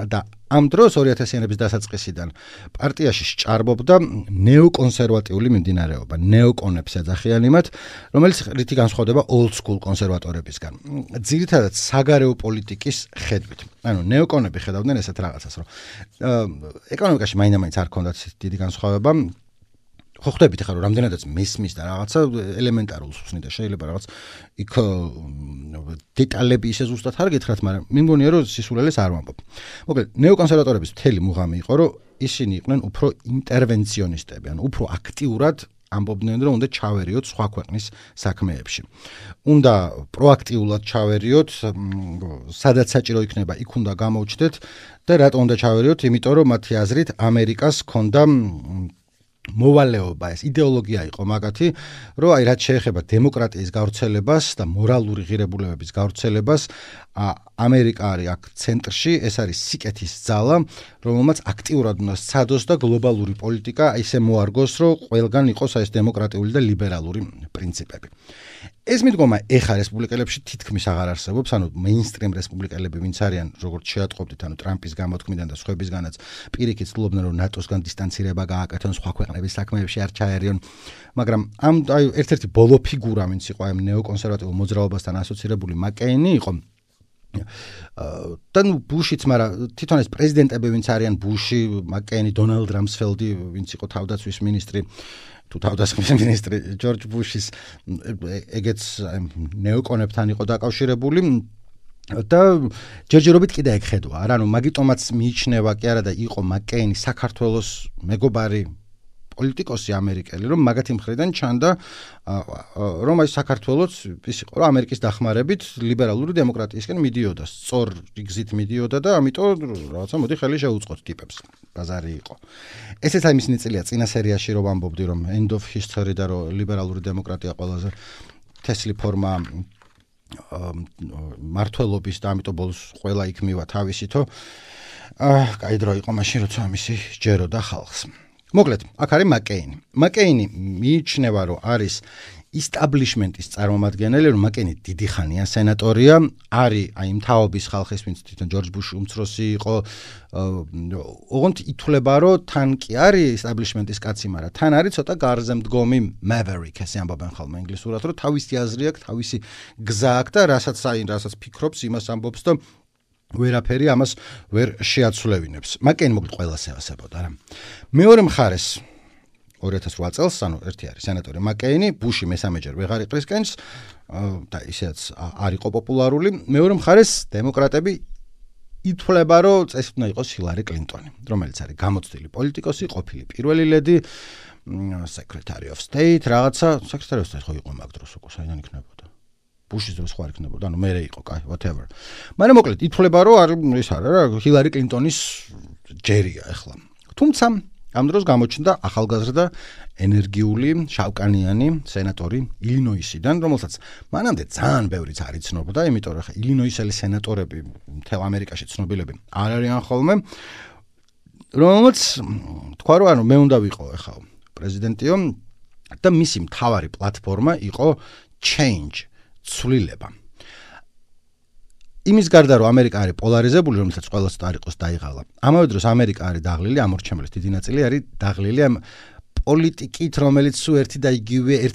და ამ დროს 2000-იანების დასაწყისიდან პარტიაში სჭარბობდა ნეოკონსერვატიული მიმდინარეობა, ნეოკონებს ეძახიან იმათ, რომელიც რითი განსხვავდება old school კონსერვატორებისგან. ძირითადად საგარეო პოლიტიკის ხედვით. ანუ ნეოკონები ხედავდნენ ესეთ რაღაცას, რომ ეკონომიკაში მაინდა-მაინც არ ქონდათ დიდი განსხვავება. ხო ხვდებით ხა რომ რამდენადაც მესმის და რაღაცა ელემენტარულს ხსნიდა, შეიძლება რაღაც იქ დეტალები ისე ზუსტად არ გითხრათ, მაგრამ მე მგონია რომ სისულელეს არ ვამბობ. მოკლედ ნეოკონსერვატორების მთელი მუღამი იყო, რომ ისინი იყვნენ უფრო ინტერვენციონისტები, ანუ უფრო აქტიურად ამბობდნენ, რომ უნდა ჩავერიოთ სხვა ქვეყნის საქმეებში. უნდა პროაქტიულად ჩავერიოთ, სადაც საჭირო იქნება, იქ უნდა გამოვჩდეთ და რატო უნდა ჩავერიოთ? იმიტომ რომ მათი აზრით ამერიკას ჰქონდა მოვალეობა, ეს იდეოლოგია იყო მაგათი, რომ აი რაც შეეხება დემოკრატიის გავრცელებას და მორალური ღირებულებების გავრცელებას, ამერიკა არის აქ ცენტრში, ეს არის სიკეთის ძალა, რომელმაც აქტიურად უნდა სცადოს და გლობალური პოლიტიკა ისე მოარგოს, რომ ყველგან იყოს ეს დემოკრატიული და ლიბერალური პრინციპები. ეს მიდგომა ეხა რესპუბლიკელებში თითქმის აღარ არსებობს, ანუ მეინსტრიმ რესპუბლიკელები ვინც არიან, როგორც შეატყობდით, ანუ ტრამპის გამოთქმიდან და სხვებისგანაც პირიქით ცდილობდნენ, რომ ნატოსგან დისტანცირება გააკეთონ, სხვა ქვეყნების საქმეებში არ ჩაერიონ, მაგრამ ამ აი ერთ-ერთი ბოლო ფიგურა, ვინც იყო ამ ნეოკონსერვატიულ მოძრაობასთან ასოცირებული, მაკეინი იყო. და ნუ ბუშიც, მაგრამ თვითონ ეს პრეზიდენტები ვინც არიან, ბუში, მაკეინი, დონალდ რამსფელდი, ვინც იყო თავდაცვის მინისტრი, თუ თავდაცვის მინისტრი ჯორჯ ბუშის ეგეც ნეოკონებთან იყო დაკავშირებული და ჯერჯერობით კიდე ეგ ხედვა, არა, ანუ მაგიტომაც მიიჩნევა კი არა და იყო მაკეინი საქართველოს მეგობარი პოლიტიკოსი ამერიკელი, რომ მაგათი მხრიდან ჩანდა, რომ აი საქართველოს ის იყო, რომ ამერიკის დახმარებით ლიბერალური დემოკრატიისკენ მიდიოდა, სწორ გზით მიდიოდა და ამიტომ რაღაცა მოდი ხელი შეუწყოთ ტიპებს. ბაზარი იყო. ესეც აი მის ნაწილია წინა სერიაში რომ ამბობდი, რომ end of history და რომ ლიბერალური დემოკრატია ყველაზე თესლი ფორმა მართლობის და ამიტომ ბოლოს ყველა იქ მივა თავისითო. კაი დრო იყო მაშინ, როცა ამისი ჯეროდა ხალხს. მოკლედ, აქ არის მაკეინი. მაკეინი მიიჩნევა, რომ არის establishment-ის წარმომადგენელი, რომ მაკეინი დიდი ხანია სენატორია, არის აი მთავრობის ხალხის, ვინც თვითონ ჯორჯ ბუში უმცროსი იყო, ოღონდ ითვლება, რომ თან კი არის establishment-ის კაცი, მაგრამ თან არის ცოტა გარზე მდგომი maverick, ესე ამბობენ ხოლმე ინგლისურად, რომ თავისი აზრი აქვს, თავისი გზა აქვს და რასაც ფიქრობს, იმას ამბობს და ვერაფერი ამას ვერ შეაცვლევინებს. მაკეინი მოკლედ ყველას ევასებოდა რა. მეორე მხარეს 2008 წელს, ანუ ერთი არის სენატორი მაკეინი, ბუში მესამეჯერ ვეღარ იყრისკენს და ისედაც არ იყო პოპულარული. მეორე მხარეს დემოკრატები ითვლება, რომ წესით უნდა იყოს ჰილარი კლინტონი, რომელიც არის გამოცდილი პოლიტიკოსი, ყოფილი პირველი ლედი, Secretary of State, რაღაცა Secretary of State ხო იყო მაგ დროს უკვე საიდან იქნებოდა. ბუშის დროს ხო არ იქნებოდა, ანუ მერე იყო, კაი, whatever. მაგრამ მოკლედ ითვლება რომ არ ის არა რა, ჰილარი კლინტონის ჯერია ახლა. თუმცა ამ დროს გამოჩნდა ახალგაზრდა ენერგიული შავკანიანი სენატორი ილინოისიდან, რომელსაც მანამდე ძალიან ბევრიც არ იცნობდა, იმიტომ რომ ილინოისელი სენატორები მთელ ამერიკაში ცნობილები არ არიან ხოლმე, რომელსაც თქვა რომ ანუ მე უნდა ვიყო ახლა პრეზიდენტიო და მისი მთავარი პლატფორმა იყო change, ცვლილება. იმის გარდა რომ ამერიკა არის პოლარიზებული, რომელსაც ყველას არ იყოს დაიღალა. ამავე დროს ამერიკა არის დაღლილი, ამორჩენლის დიდი ნაწილი არის დაღლილი ამ პოლიტიკით, რომელიც სულ ერთი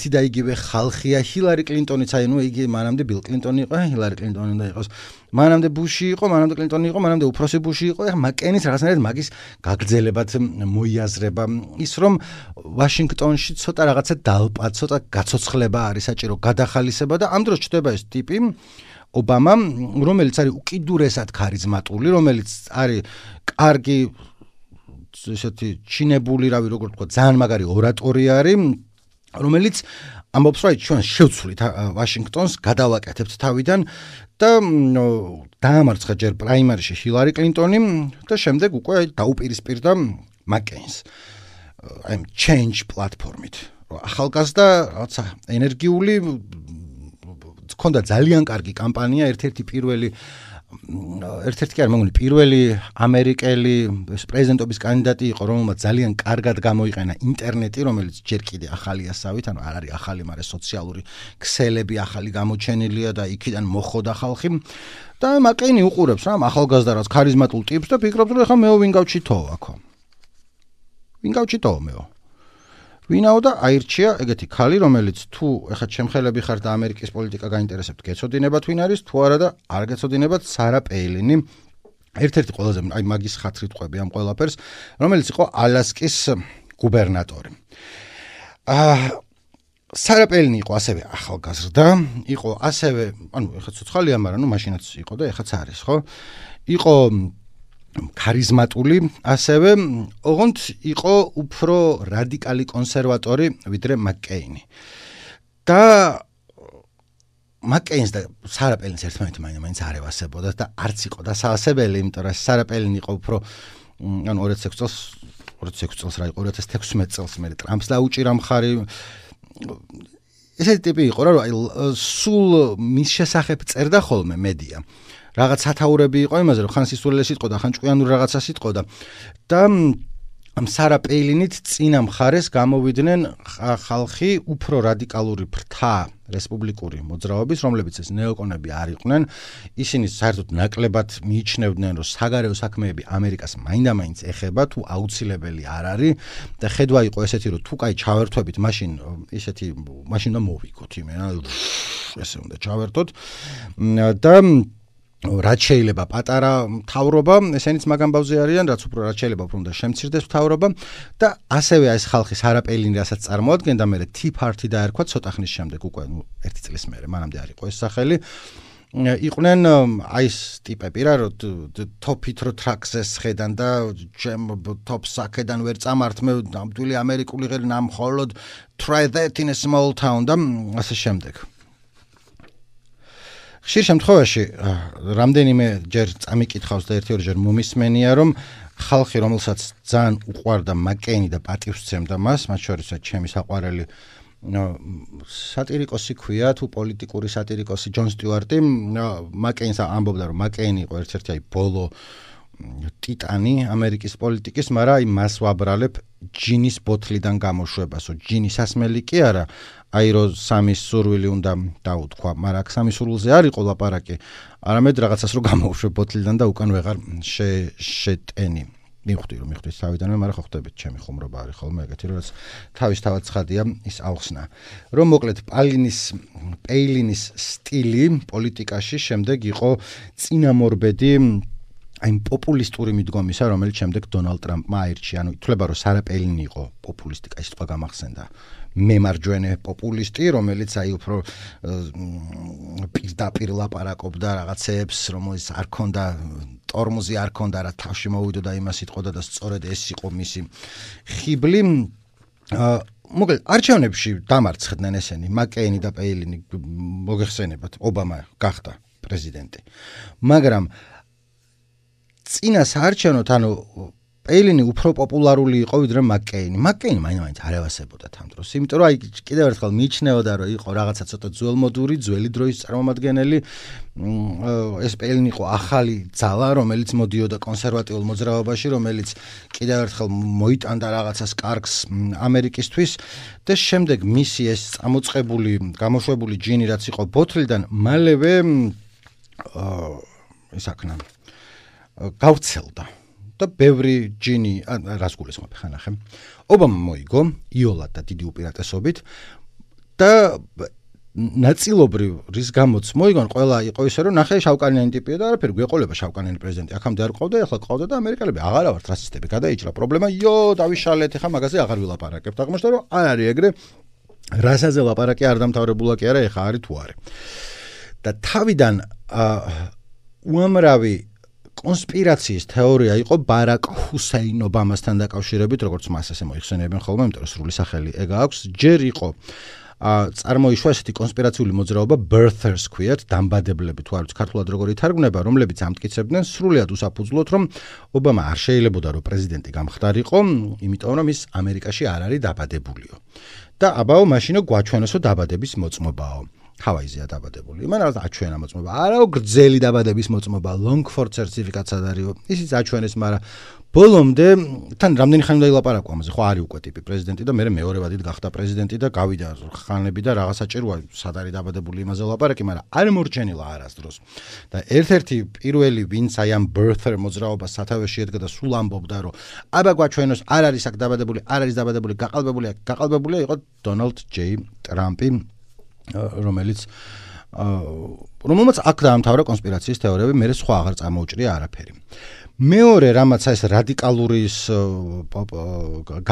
და იგივე ხალხია. ჰილარი კლინტონიც აი ნუ იგი მანამდე ბილ კლინტონი იყო, ჰილარი კლინტონი უნდა იყოს. მანამდე ბუში იყო, მანამდე კლინტონი იყო, მანამდე უფროსი ბუში იყო. ეხლა მაკენის რაღაცნაირად მაგის გაგრძელებად მოიაზრება ის რომ ვაშინგტონში ცოტა რაღაცა დალპა, ცოტა გაცოცხლება არის საჭირო, გადახალისება და ამ დროს ჩდება ეს ტიპი ობამა, რომელიც არის უკიდურესად ქარიზმატული, რომელიც არის კარგი ესეთი ჩინებული, რავი, როგორ თქვა, ძალიან მაგარი ორატორი არის, რომელიც ამბობს, რომ ჩვენ შევცვლით ვაშინგტონს, გადავაკეთებთ თავიდან და დაამარცხა ჯერ პრაიმერიში ჰილარი კლინტონი და შემდეგ უკვე დაუპირისპირდა მაკეინს. აი change პლატფორმით. ახალგაზრდა რაღაცა ენერგიული ქონდა ძალიან კარგი კამპანია, ერთ-ერთი კი არ მეგონი პირველი ამერიკელი პრეზიდენტობის კანდიდატი იყო, რომელმაც ძალიან კარგად გამოიყენა ინტერნეტი, რომელიც ჯერ კიდე ახალია სავით, ანუ არ არის ახალი, მაგრამ სოციალური ქსელები ახალი გამოჩენილია და იქიდან მოხოდა ხალხი. და მაკეინი უყურებს რა ახალგაზრდა რაც ქარიზმატულ ტიპს და ფიქრობს, რომ ეხლა მეო ვინ გავჩითო აქო. ვინ გავჩითო მეო? ვინაო და აირჩია ეგეთი ქალი, რომელიც თუ ეხლა ჩემხელები ხარ და ამერიკის პოლიტიკა გაინტერესებთ, გეცოდინებათ ვინ არის, თუ არა და არ გეცოდინებათ სარა პეილინი. ერთ-ერთი ყველაზე აი მაგის ხათრით ყვები ამ ყველაფერს, რომელიც იყო ალასკის გუბერნატორი. სარა პეილინი იყო ასევე ახალგაზრდა, იყო ასევე, ანუ ეხლა ცოცხალია, მაგრამ ნუ მაშინაც იყო და ეხაც არის, ხო? იყო ქარიზმატული, ასევე ოღონდ იყო უფრო რადიკალი კონსერვატორი ვიდრე მაკეინი. და მაკეინს და სარა პეილინს ერთმანეთი მაინც არ ევასებოდა და არც იყო დასაასებელი, იმიტომ რომ სარა პეილინი იყო უფრო ანუ 2006 წელს რა იყო 2016 წელს მე ტრამპს დაუჭირა მხარი. ესეთი ტიპი იყო რა, სულ მის შესახებ წერდა ხოლმე მედია. რაღაც სათაურები იყო იმაზე, რომ ხან სისულელე სიტყოდა, ხან ჭკვიანური რაღაცა სიტყოდა და ამ სარა პეილინით წინა მხარეს გამოვიდნენ ხალხი უფრო რადიკალური ფრთა რესპუბლიკური მოძრაობის, რომლებიც ეს ნეოკონები არ იყვნენ. ისინი საერთოდ ნაკლებად მიიჩნევდნენ, რომ საგარეო საქმეები ამერიკას მაინდა-მაინც ეხება, თუ აუცილებელი არ არის და ხედვა იყო ესეთი, რომ თუ კაი ჩავერთვებით, მაშინ უნდა მოვიგოთ იმენა, ესე უნდა ჩავერთოთ და რაც შეიძლება პატარა მთავრობა, ესენიც მაგ ამბავზე არიან, რაც უფრო რაც შეიძლება უფრო უნდა შემცირდეს მთავრობა და ასევე ეს ხალხი სარა პეილინი რასაც წარმოადგენდა, მე Tea Party დაერქვა ცოტა ხნის შემდეგ, უკვე 1 წლის მერე, მანამდე არ იყო ეს სახელი. იყვნენ აი ეს ტიპები რა, რომ თოფით რო ტრაქზე სხედან და ჩემ თოფს აქედან ვერ წამართ, მე ნამდვილი ამერიკული ღერი ნამხოლოდ try that in a small town და ასე შემდეგ. ხშირ შემთხვევაში რამდენიმე ჯერ წამიკითხავს და ერთი-ორჯერ მომისმენია, რომ ხალხი, რომელსაც ძალიან უყვარდა მაკეინი და პატივსცემდა მას, მათ შორის ჩემი საყვარელი სატირიკოსი ქვია, თუ პოლიტიკური სატირიკოსი ჯონ სტიუარტი, მაკეინს ამბობდა, რომ მაკეინი იყო ერთ-ერთი აი ბოლო ტიტანი ამერიკის პოლიტიკის, მაგრამ აი მას ვაბრალებ ჯინის ბოთლიდან გამოშვებასო, ჯინის ასმელი კი არა, აი რომ სამის სურვილი უნდა დაუთქვა, მაგრამ აქ სამის სურვილზე არ იყო ლაპარაკი, არამედ რაღაცას რომ გამოვშვებ ბოთლიდან და უკან ვეღარ შეტენი. მივხვდი თავიდანვე, მაგრამ ხო ხდებით, ჩემი ხუმრობა არის ხოლმე ეგეთი, რომ თავისთავად ცხადია ის აღხსნა. რომ მოკლედ პეილინის სტილი პოლიტიკაში შემდეგ იყო წინამორბედი აი პოპულისტური მიდგომისა, რომელიც შემდეგ დონალდ ტრამპმა აირჩია. ანუ ითვლება, რომ სარა პეილინი იყო პოპულისტი, კაი სიტყვა გამახსენდა. მემარჯვენე პოპულისტი, რომელიც აი უფრო პირდაპირ ლაპარაკობდა რაღაცეებს, რომელიც არ ქონდა ტორმოზი არ ქონდა, რა თავში მოვიდოდა იმას იტყოდა და სწორედ ეს იყო მისი ხიბლი. მოკლედ არჩევნებში დამარცხდნენ ესენი, მაკეინი და პეილინი, მოგეხსენებათ, ობამა გახდა პრეზიდენტი. მაგრამ წინა საარჩევნოთ, ანუ პეილინი უფრო პოპულარული იყო ვიდრე მაკეინი. მაკეინი მაინც არ ევასებოდა ამ დროს. იმიტომ რომ კიდევ ერთხელ მიიჩნეოდა, რომ იყო რაღაცა ცოტა ძველმოდური, ძველი დროის წარმომადგენელი. ეს პეილინი იყო ახალი ძალა, რომელიც მოდიოდა კონსერვატიულ მოძრაობაში, რომელიც კიდევ ერთხელ მოიტანდა რაღაცას კარგს ამერიკისთვის და შემდეგ მისი ეს წამოწყებული, გამოშვებული ჯინი რაც იყო ბოთლიდან, მალევე ისაქნა გავრცელდა. და ბევრი ჯინი რას გულისხმობ ხანახე. ობამა მოიგო იოლად და დიდი უპირატესობით და ნაწილობრივ რის გამოც მოიგონ ყველა იყო ისე რომ ნახე შავკანიანი ტიპია და არაფერი გვეყოლება შავკანიანი პრეზიდენტი. აქამდე არ ყავდა, ახლა ყავდა და ამერიკელები აღარა ვართ რასისტები. გადაიჭრა პრობლემა, დავიშალეთ, ახლა მაგაზე აღარ ვილაპარაკებთ. აღმოჩნდა რომ არ არის ეგრე. რასაზე ლაპარაკი არ დამთავრებულა კი არა, ახლა არის თუ არა. და თავიდან უამრავი კონსპირაციის თეორია იყო ბარაკ ჰუსეინ ობამასთან დაკავშირებით, როგორც მას ასე მოიხსენიებენ ხოლმე, იმიტომ რომ სრული სახელი ეგ აქვს. ჯერ იყო წარმოიშვა ესეთი კონსპირაციული მოძრაობა birthers ქვიათ, დამბადებლები თუ არ ვიცი ქართულად როგორ ითარგმნება, რომლებიც ამტკიცებდნენ სრულიად უსაფუძვლოდ, რომ ობამა არ შეიძლებოდა რომ პრეზიდენტი გამხდარიყო, იმიტომ რომ ის ამერიკაში არ არის დაბადებულიო. და აბაო მაშინო გვაჩვენოსო დაბადების მოწმობაო. ჰავაიზეა დაბადებული. იმან რაღაც აჩვენა მოწმობა. არაო გრძელი დაბადების მოწმობა, Longford certificate-ად არისო. ისიც აჩვენეს, მაგრამ ბოლომდე თან რამდენი ხანი უნდა ილაპარაკო ამაზე, ხო არის უკვე ტიპი პრეზიდენტი და მე მეორე ვადით გახდა პრეზიდენტი და გავიდა ხანები და რაღაცა ჭიროა სად არის დაბადებული იმაზე ლაპარაკი, მაგრამ არ მორჩენილა არასდროს. და ერთ-ერთი პირველი ვინც აი ამ birther მოძრაობას სათავეში ედგა და სულ ამბობდა, რომ აბა გვაჩვენოს არ არის აქ დაბადებული, არ არის დაბადებული, გაყალბებულია იყო Donald J. Trump-ი, რომელმაც აქ დაამთავრა კონსპირაციის თეორიები, მე სხვა აღარ წამოუჭრია არაფერი. მეორე რამაც ეს რადიკალურის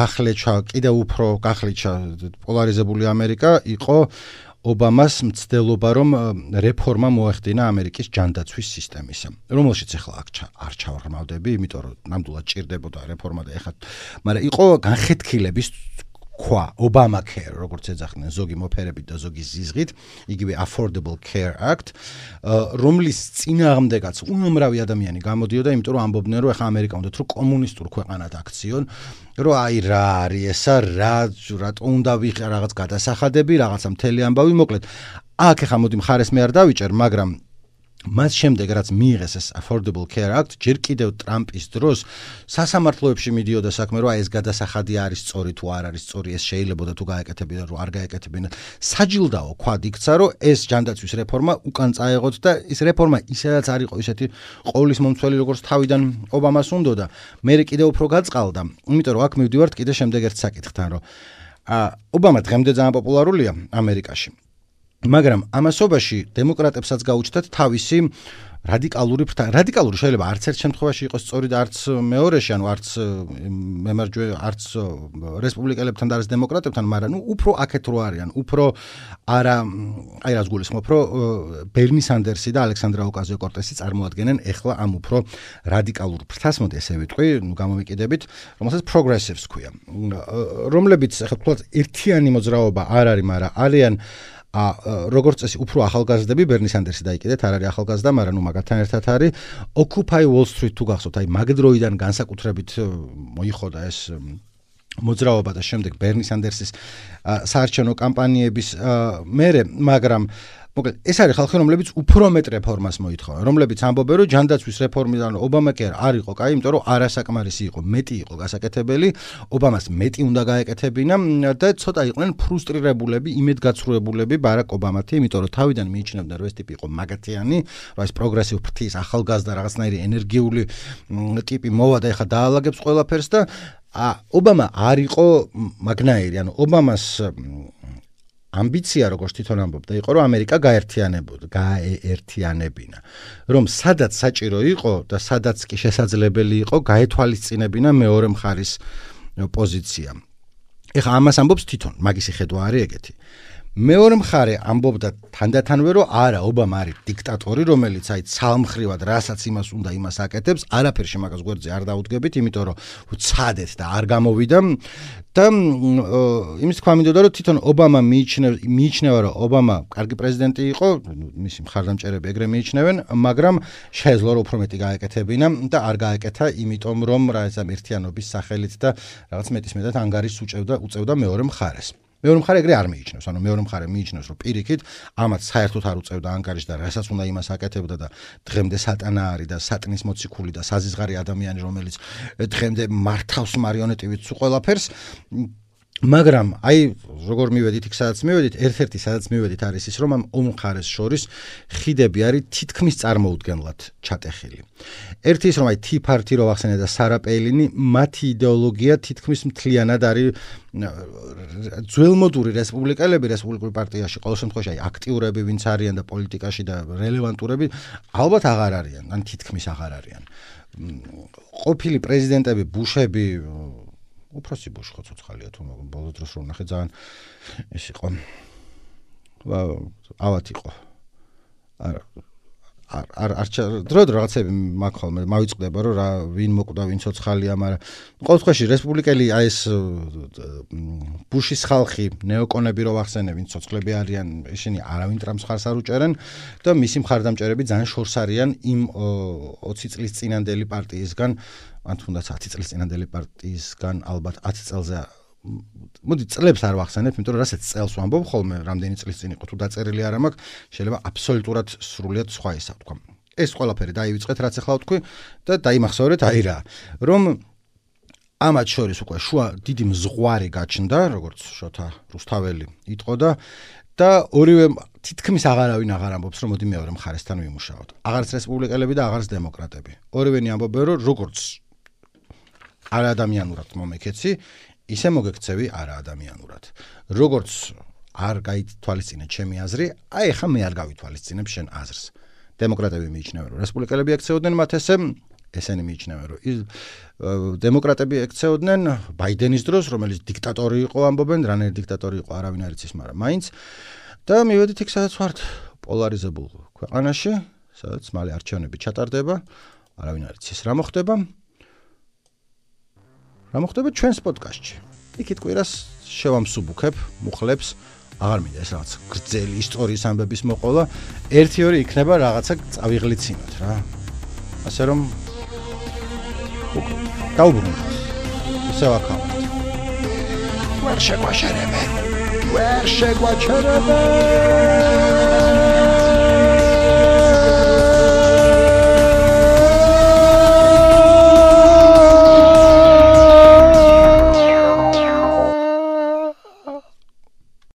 გახლეჩა, კიდევ უფრო გახლეჩა პოლარიზებული ამერიკა იყო ობამას მცდელობა, რომ რეფორმა მოეხდინა ამერიკის ჯანდაცვის სისტემისა, რომელშიც ახლა არ ჩავღრმავდები, იმიტომ რომ ნამდვილად ჭირდებოდა რეფორმა და ეხლა, მაგრამ იყო განხეთქილების ქვა, Obamacare, როგორც ეძახდნენ ზოგი მოფერებით და ზოგი ზიზღით, იგივე Affordable Care Act, რომლის წინააღმდეგაც უამრავი ადამიანი გამოდიოდა, იმიტომ რომ ამბობდნენ, რომ ახლა ამერიკა უნდა თუ კომუნისტურ ქვეყანად აქციონ, რომ აი რა არის ესა, რატო უნდა ვიღე რაღაც გადასახადები, რაღაცა მთელი ამბავი, მოკლედ, აქ ახლა მოდი მხარეს მე არ დავიჭერ, მაგრამ მას შემდეგ რაც მიიღეს ეს Affordable Care Act, ჯერ კიდევ ტრამპის დროს სასამართლოებში მიდიოდა საქმე, რომ აი ეს გადასახადი არის სწორი თუ არ არის სწორი, ეს შეიძლებოდა თუ გაეკეთებინა, რომ არ გაეკეთებინა. საჯილდაო ქვად იქცა, რომ ეს ჯანდაცვის რეფორმა უკან წაეღოთ და ეს რეფორმა ისედაც არ იყო ისეთი ყოვლის მომცველი, როგორც თავიდან ობამას უნდოდა. მე კიდევ უფრო გაწყალდა, იმიტომ რომ აქ მივდივართ კიდე შემდეგ ერთ საკითხთან, რომ ობამა დღემდე ძალიან პოპულარულია ამერიკაში. მაგრამ ამასობაში დემოკრატებსაც გაუჩნდათ თავისი რადიკალური შეიძლება არც ერთ შემთხვევაში იყოს სწორი და არც მეორეში, ანუ არც არც რესპუბლიკელებთან და არც დემოკრატებთან, მაგრამ უფრო აქეთ რო არიან, უფრო არა, აი რას გულისხმობ, რომ ბერნი სანდერსი და ალექსანდრა ოკაზიო-კორტესი წარმოადგენენ ეხლა ამ უფრო რადიკალურ ფრთას, მოდი ესე ვიტყვი, გამომიკიდებით, რომელსაც progressives ქვია, რომლებიც ახლა თქვათ ერთიანი მოძრაობა არ არის, მაგრამ არიან როგორც წესი უფრო ახალგაზრდები, ბერნი სანდერსი დაიკიდეთ, არ არის ახალგაზრდა, მაგრამ მაგათთან ერთად არის Occupy Wall Street თუ გახსოვთ, აი მაგ დროიდან განსაკუთრებით მოიხოდა ეს მოძრაობა და შემდეგ ბერნი სანდერსის საარჩევნო კამპანიების მერე, მაგრამ მოკლედ ეს არის ხალხი, რომლებიც უფრო მეტ რეფორმას მოითხოვენ, რომლებიც ამბობენ, რომ ჯანდაცვის რეფორმიდან Obamacare არ იყო კაი, იმიტომ რომ არასაკმარისი იყო, მეტი იყო გასაკეთებელი, ობამას მეტი უნდა გაეკეთებინა და ცოტა იყვნენ ფრუსტრირებულები, იმედგაცრუებულები ბარაკ ობამათი, იმიტომ რომ თავიდან მიიჩნევდნენ, რომ ეს ტიპი იყო მაგათიანი, რომ ეს პროგრესივ ფრთის ახალგაზრდა რაღაცნაირი ენერგიული ტიპი მოვა და ეხა დაალაგებს ყველაფერს და ობამა არ იყო მაგნაირი, ანუ ობამას ამბიცია, როგორც თვითონ ამბობდა, იყო, რომ ამერიკა გაეერთიანებინა, რომ სადაც საჭირო იყო და სადაც კი შესაძლებელი იყო, გაეთვალისწინებინა მეორე მხარის პოზიცია. ეხლა ამას ამბობს თვითონ, მაგისი ხედვა არის ეგეთი. მეორე მხარე ამბობდა თანდათანვე რომ არა ობამა არის დიქტატორი რომელიც აი ცალმხრივად რასაც იმას უნდა იმას აკეთებს არაფერში მაგას გვერდზე არ დაუდგებით იმიტომ რომ უცადეთ და არ გამოვიდა და იმის თქვა მინდოდა რომ თვითონ ობამა მიიჩნევა რომ ობამა კარგი პრეზიდენტი იყო მისი მხარდამჭერები ეგრე მიიჩნევენ მაგრამ შეეძლო რომ უფრო მეტი გაეკეთებინა და არ გაეკეთა იმიტომ რომ რა ეს ერთიანობის სახელით და რაღაც მეტისმეტად ანგარიშს უწევდა მეორე მხარეს მეორე მხარე ეგრე არ მიიჩნევს, ანუ მეორე მხარე მიიჩნევს, რომ პირიქით ამათ საერთოდ არ უწევდა ანგარიშს და რასაც უნდა იმას აკეთებდა და დღემდე სატანა არის და სატნის მოციქული და საზიზღარი ადამიანი, რომელიც დღემდე მართავს მარიონეტივით სულ ყველაფერს. მაგრამ აი როგორ მივედით იქ სადაც მივედით, ერთ-ერთი სადაც მივედით არის ის, რომ ამ ორ მხარეს შორის ხიდები არის თითქმის წარმოუდგენლად ჩატეხილი. ერთი ის რომ აი tea party რო ახსენე და სარა პეილინი, მათი იდეოლოგია თითქმის მთლიანად არის ძველმოდური რესპუბლიკელები რესპუბლიკურ პარტიაში ყოველ შემთხვევაში აი აქტიურები ვინც არიან და პოლიტიკაში და რელევანტურები ალბათ აღარ არიან, ან თითქმის აღარ არიან. ყოფილი პრეზიდენტები ბუშები უფროსი ბუში ხო ცოცხალია თუ ბოლო დროს რომ ნახე ძალიან ეს იყო ავად იყო დრო რაღაცები მაგ ხოლმე მავიწყდება რომ რა ვინ მოკვდა ვინ ცოცხალია მაგრამ ყოველ შემთხვევაში რესპუბლიკელი აი ეს ბუშის ხალხი ნეოკონები რო ვახსენე ვინ ცოცხლები არიან ისინი არავინ ტრამპს ხარს არ უჭერენ და მისი მხარდამჭერები ძალიან შორს არიან იმ 20 წლის წინანდელი პარტიისგან ან თუნდაც 10 წლის წინანდელი პარტიისგან ალბათ 10 წელზე მოდი წლებს არ ვახსენებ, იმიტომ რომ რასაც წელს ვამბობ ხოლმე, რამდენი წლის წინ იყო თუ დაწერილი არ მაქვს, შეიძლება აბსოლუტურად სრულიად სხვა ისა თქვა. ეს ყველაფერი დაივიწყეთ, რაც ახლა ვთქვი და დაიმახსოვრეთ აი რა, რომ ამათ შორის უკვე შუა დიდი მზღვარი გაჩნდა, როგორც შოთა რუსთაველი იტყოდა და ორივე თითქმის აღარავინ აღარ ამბობს, რომ მოდი მეორე მხარესთან ვიმუშაოთ. აღარც რესპუბლიკელები და აღარც დემოკრატები. ორივენი ამბობენ, რომ როგორც არაადამიანურად მომექეცი ისე მოგექცევი არაადამიანურად. როგორც არ გაითვალისწინე ჩემი აზრი, აი ხა მე არ გავითვალისწინებ შენ აზრს. დემოკრატები მიიჩნევენ, რომ რესპუბლიკელები ექცეოდნენ მათ ესენი მიიჩნევენ, რომ დემოკრატები ექცეოდნენ ბაიდენის დროს, რომელიც დიქტატორი იყო, ამბობენ, რანაირი დიქტატორი იყო, არავინ არ იცის, მაგრამ მაინც და მივედით იქ სადაც ვართ პოლარიზებულ ქვეყანაში, სადაც მალე არჩევნები ჩატარდება, არავინ არ იცის რა მოხდება. რა მოხდება ჩვენს პოდკასტში. იქით კვირას შევამსუბუქებ, მუხლებს, აღარ მინდა ეს რაღაც გრძელი ისტორიის ამბების მოყოლა, 1-2 იქნება რაღაცა წავიღლიცინოთ რა. ასე რომ დაუბრუნდეთ. ისევ აქამდე. ვერ შეგვაჩერებენ.